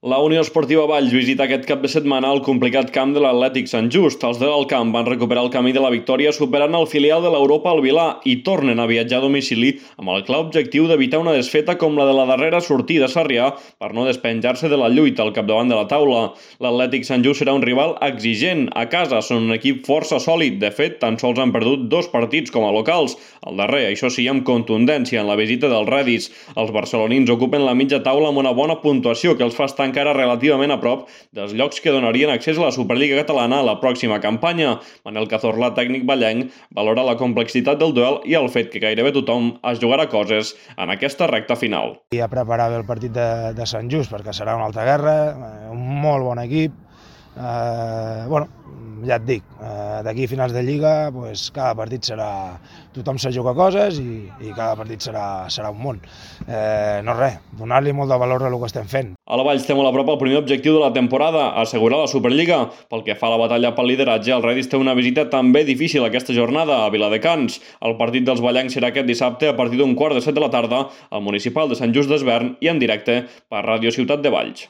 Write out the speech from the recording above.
La Unió Esportiva Valls visita aquest cap de setmana el complicat camp de l'Atlètic Sant Just. Els de l'Alcamp van recuperar el camí de la victòria superant el filial de l'Europa al Vilà i tornen a viatjar a domicili amb el clar objectiu d'evitar una desfeta com la de la darrera sortida a Sarrià per no despenjar-se de la lluita al capdavant de la taula. L'Atlètic Sant Just serà un rival exigent. A casa són un equip força sòlid. De fet, tan sols han perdut 2 partits com a locals. El darrer, això sí, amb contundència en la visita dels Redis. Els barcelonins ocupen la mitja taula amb una bona puntuació que els fa estar encara relativament a prop dels llocs que donarien accés a la Superliga catalana a la pròxima campanya. Manel Cazorla, tècnic ballenc, valora la complexitat del duel i el fet que gairebé tothom es jugarà coses en aquesta recta final. I a preparar bé el partit de Sant Just perquè serà una altra guerra, un molt bon equip. Ja et dic, d'aquí a finals de Lliga cada partit serà... Tothom se juga coses i cada partit serà un món. No res, donar-li molt de valor a el que estem fent. A la Valls té molt a prop el primer objectiu de la temporada, assegurar la Superliga. Pel que fa a la batalla pel lideratge, el Redis té una visita també difícil aquesta jornada a Viladecans. El partit dels ballencs serà aquest dissabte a partir d'15:45 de la tarda al municipal de Sant Just d'Esvern i en directe per Ràdio Ciutat de Valls.